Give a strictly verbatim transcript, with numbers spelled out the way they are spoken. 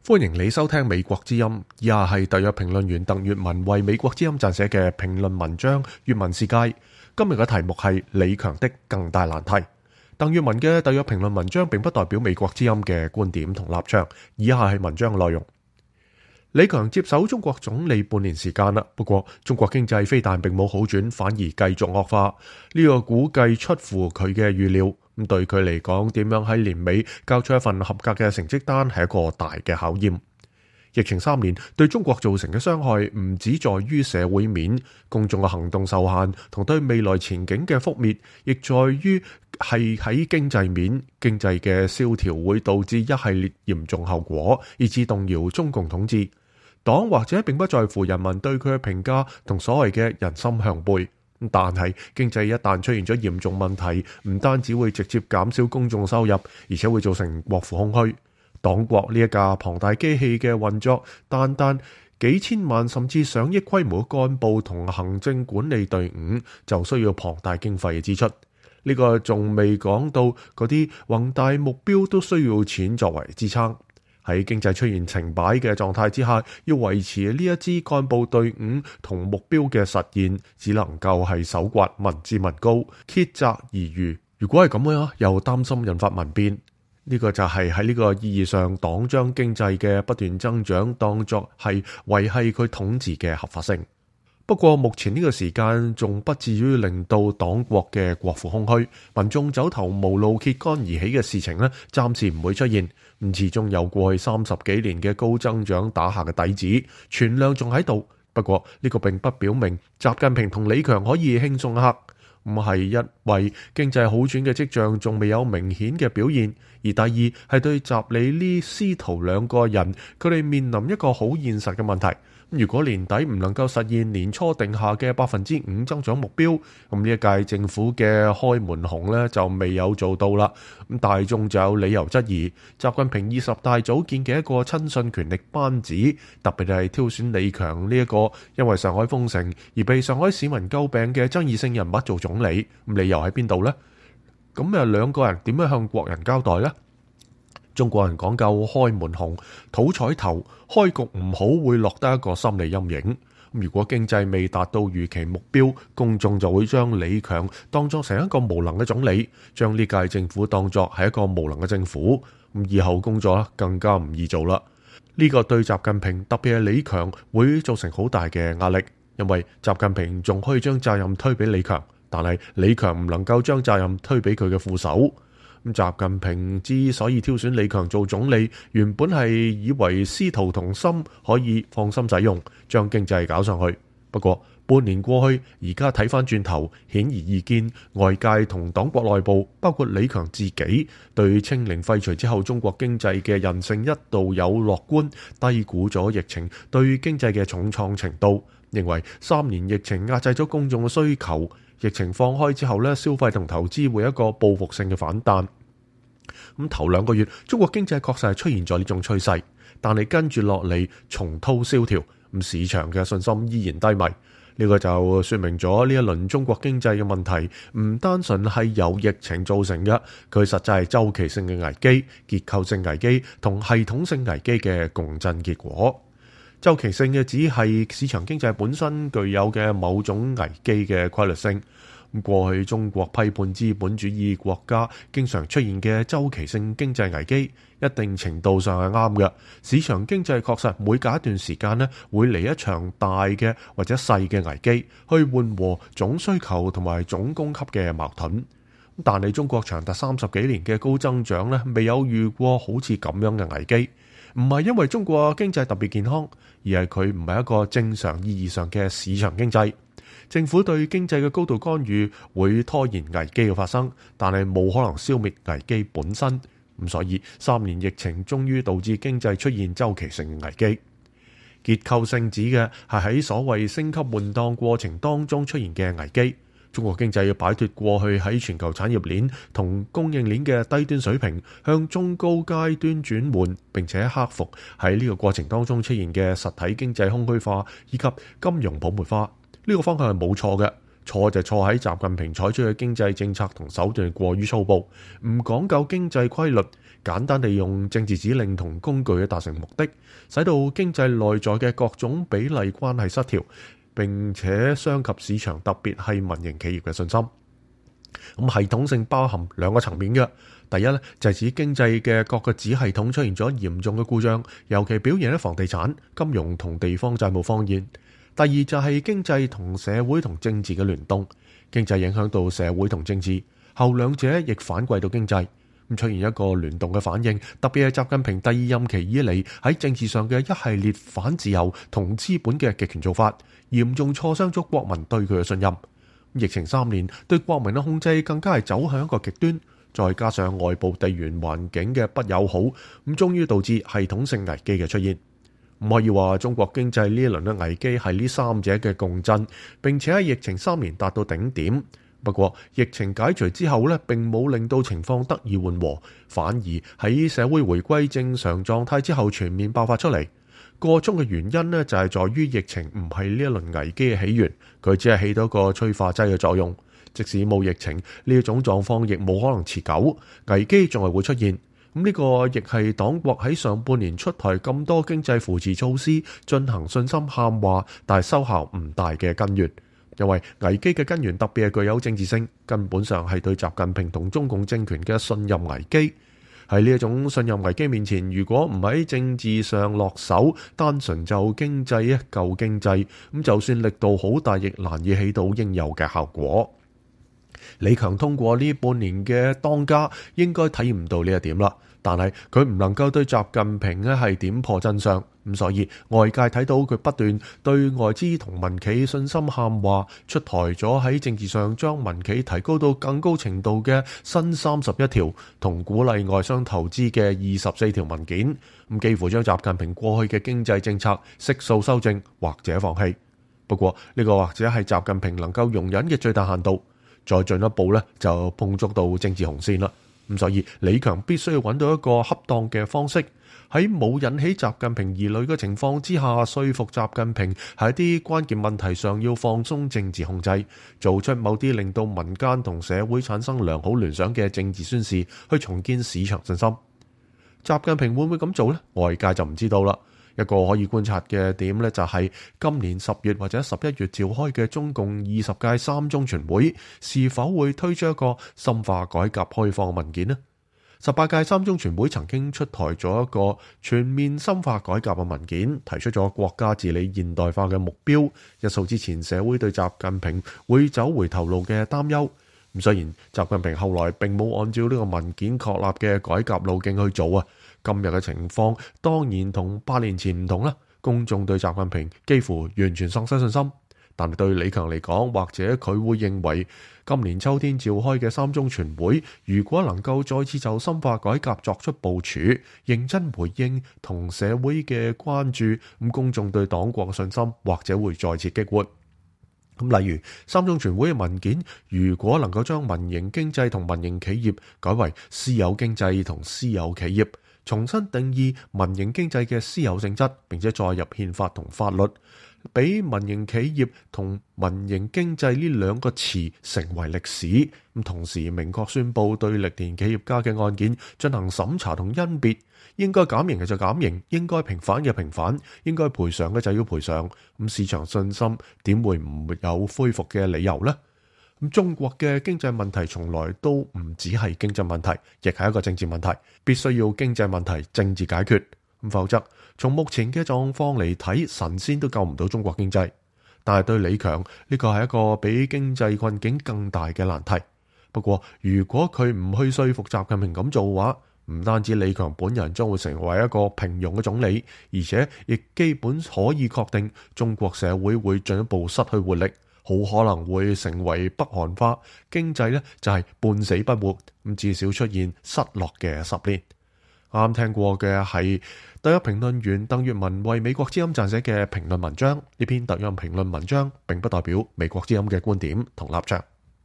歡迎你收聽美國之音，以下係特約評論員鄧粵文為美國之音撰寫嘅評論文章《粵文世界》。今日嘅題目係李強的更大難題。鄧粵文嘅特約評論文章並不代表美國之音嘅觀點同立場，以下係文章嘅內容。李強接手中國總理半年時間啦，不過中國經濟非但並冇好轉，反而繼續惡化。呢個估計出乎佢嘅預料。咁對佢嚟講，點樣喺年尾交出一份合格嘅成績單係一個大嘅考驗。疫情三年對中國造成嘅傷害唔只在於社會面，公眾嘅行動受限同對未來前景嘅覆滅，亦在於係喺經濟面，經濟嘅蕭條會導致一系列嚴重後果，以致動搖中共統治。黨或者並不在乎人民對佢嘅評價同所謂嘅人心向背。但係經濟一旦出現咗嚴重問題，唔單止會直接減少公眾收入，而且會造成國庫空虛。黨國呢一架龐大機器嘅運作，單單幾千萬甚至上億規模嘅幹部同行政管理隊伍，就需要龐大經費嘅支出。呢個仲未講到嗰啲宏大目標都需要錢作為支撐。喺經濟出現停擺嘅狀態之下，要維持呢一支幹部隊伍同目標嘅實現，只能夠係搜刮民脂民膏，竭澤而漁。如果係咁樣，又擔心引發民變。呢個就係喺呢個意義上，黨將經濟嘅不斷增長當作係維繫佢統治嘅合法性。不過目前呢個時間仲不至於令到黨國嘅國庫空虛，民眾走投無路揭竿而起嘅事情呢，暫時唔會出現。咁始終有過去三十幾年嘅高增長打下嘅底子，存量仲喺度。不過呢個並不表明習近平同李強可以輕鬆一刻，唔係因為經濟好轉嘅跡象仲未有明顯嘅表現，而第二係對習李呢師徒兩個人，佢哋面臨一個好現實嘅問題。如果年底唔能夠實現年初定下嘅百分之五增長目標，咁呢一屆政府嘅開門紅呢就未有做到啦。咁大眾就有理由質疑習近平二十大組建嘅一個親信權力班子，特別係挑選李強呢一個因為上海封城而被上海市民詬病嘅爭議性人物做總理，咁理由喺邊度呢？咁啊兩個人點樣向國人交代呢？中國人講究開門紅、討彩頭，開局唔好會落得一個心理陰影。如果經濟未達到預期目標，公眾就會將李強當作成一個無能嘅總理，將呢屆政府當作係一個無能嘅政府。咁以後工作更加唔易做啦。呢個對習近平特別係李強會造成好大嘅壓力，因為習近平仲可以將責任推俾李強，但係李強唔能夠將責任推俾佢嘅副手。咁習近平之所以挑選李強做總理，原本係以為師徒同心，可以放心使用，將經濟搞上去。不過半年過去，而家睇翻轉頭，顯而易見，外界同黨國內部，包括李強自己，對清零廢除之後中國經濟嘅韌性一度有樂觀，低估咗疫情對經濟嘅重創程度，認為三年疫情壓制咗公眾嘅需求。疫情放開之後咧，消費同投資會有一個報復性嘅反彈。咁頭兩個月，中國經濟確實係出現咗呢種趨勢，但係跟住落嚟重蹈蕭條，咁市場嘅信心依然低迷。呢個就說明咗呢一輪中國經濟嘅問題，唔單純係由疫情造成嘅，佢實際係周期性嘅危機、結構性危機同系統性危機嘅共振結果。周期性嘅只係市場經濟本身具有嘅某種危機嘅規律性。過去中國批判資本主義國家經常出現嘅周期性經濟危機，一定程度上係啱嘅。市場經濟確實每隔一段時間呢，會嚟一場大嘅或者細嘅危機，去緩和總需求同埋總供給嘅矛盾。但係中國長達三十幾年嘅高增長呢，未有遇過好似咁樣嘅危機。唔係因為中國經濟特別健康，而係佢唔係一個正常意義上嘅市場經濟。政府對經濟嘅高度干預會拖延危機嘅發生，但係冇可能消滅危機本身。咁所以三年疫情終於導致經濟出現周期性嘅危機。結構性指嘅係喺所謂升級換檔過程當中出現嘅危機。中國經濟要擺脫過去喺全球產業鏈同供應鏈嘅低端水平，向中高階端轉換，並且克服喺呢個過程當中出現嘅實體經濟空虛化以及金融泡沫化。呢個方向係冇錯嘅，錯就錯喺習近平採取嘅經濟政策同手段過於粗暴，唔講究經濟規律，簡單地用政治指令同工具去達成目的，使到經濟內在嘅各種比例關係失調，並且傷及市場，特別係民營企業嘅信心。咁系統性包含兩個層面嘅，第一咧就係指經濟嘅各個子系統出現咗嚴重嘅故障，尤其表現喺房地產、金融同地方債務方面。第二就係經濟同社會同政治嘅聯動，經濟影響到社會同政治，後兩者亦反饋到經濟，咁出現一個聯動嘅反應。特別係習近平第二任期以嚟喺政治上嘅一系列反自由同資本嘅極權做法，嚴重挫傷咗國民對佢嘅信任。疫情三年對國民嘅控制更加係走向一個極端，再加上外部地緣環境嘅不友好，咁終於導致系統性危機嘅出現。唔可以話中國經濟呢一輪嘅危機係呢三者嘅共振，並且喺疫情三年達到頂點。不過疫情解除之後呢，並冇令到情況得以緩和，反而喺社會回歸正常狀態之後全面爆發出嚟。個中嘅原因呢，就係在於疫情唔係呢一輪危機嘅起源，佢只係起到一個催化劑嘅作用。即使冇疫情，呢一種狀況亦冇可能持久，危機仲係會出現。咁呢個亦係黨國喺上半年出台咁多經濟扶持措施，進行信心喊話，但係收效唔大嘅根源。因為危機嘅根源特別係具有政治性，根本上係對習近平同中共政權嘅信任危機。喺呢一種信任危機面前，如果唔喺政治上落手，單純就經濟救經濟，咁就算力度好大，亦難以起到應有嘅效果。李強通過呢半年嘅當家，應該體驗到呢一點啦。但係佢唔能夠對習近平咧係點破真相，咁所以外界睇到佢不斷對外資同民企信心喊話，出台咗喺政治上將民企提高到更高程度嘅新三十一條，同鼓勵外商投資嘅二十四條文件，咁幾乎將習近平過去嘅經濟政策悉數修正或者放棄。不過呢個或者係習近平能夠容忍嘅最大限度，再進一步咧就碰觸到政治紅線啦。咁所以李強必須要揾到一個恰當嘅方式，喺冇引起習近平疑慮嘅情況之下，說服習近平喺一啲關鍵問題上要放鬆政治控制，做出某啲令到民間同社會產生良好聯想嘅政治宣示，去重建市場信心。習近平會唔會咁做呢？外界就唔知道啦。一個可以觀察嘅點呢，就係今年十月或者十一月召開嘅中共二十屆三中全會，是否會推出一個深化改革開放文件呢？十八屆三中全會曾經出台咗一個全面深化改革嘅文件，提出咗國家治理現代化嘅目標，一掃之前社會對習近平會走回頭路嘅擔憂。咁雖然習近平後來並冇按照呢個文件確立嘅改革路徑去做啊，今日嘅情況當然同八年前唔同啦。公眾對習近平幾乎完全喪失信心，但係對李強嚟講，或者佢會認為今年秋天召開嘅三中全會，如果能夠再次就深化改革作出部署，認真回應同社會嘅關注，咁公眾對黨國嘅信心或者會再次激活。咁例如三中全會嘅文件，如果能夠將民營經濟同民營企業改為私有經濟同私有企業，重新定義民營經濟嘅私有性質，並且再入憲法同法律，俾民營企業同民營經濟呢兩個詞成為歷史。咁同時明確宣布對歷年企業家嘅案件進行審查同甄別，應該減刑嘅就減刑，應該平反嘅平反，應該賠償嘅就要賠償。咁市場信心點會唔有恢復嘅理由呢？咁中國嘅經濟問題從來都唔只係經濟問題，亦係一個政治問題，必須要經濟問題政治解決。咁否則從目前嘅狀況嚟睇，神仙都救唔到中國經濟。但係對李強呢個係一個比經濟困境更大嘅難題。不過如果佢唔去說服習近平咁做嘅話，唔單止李強本人將會成為一個平庸嘅總理，而且亦基本可以確定中國社會會進一步失去活力，好可能會成為北韓化，經濟呢就係半死不活，咁至少出現失落嘅十年。啱啱聽過嘅係特約評論員鄧月文為美國之音撰寫嘅評論文章，呢篇特約評論文章並不代表美國之音嘅觀點同立場。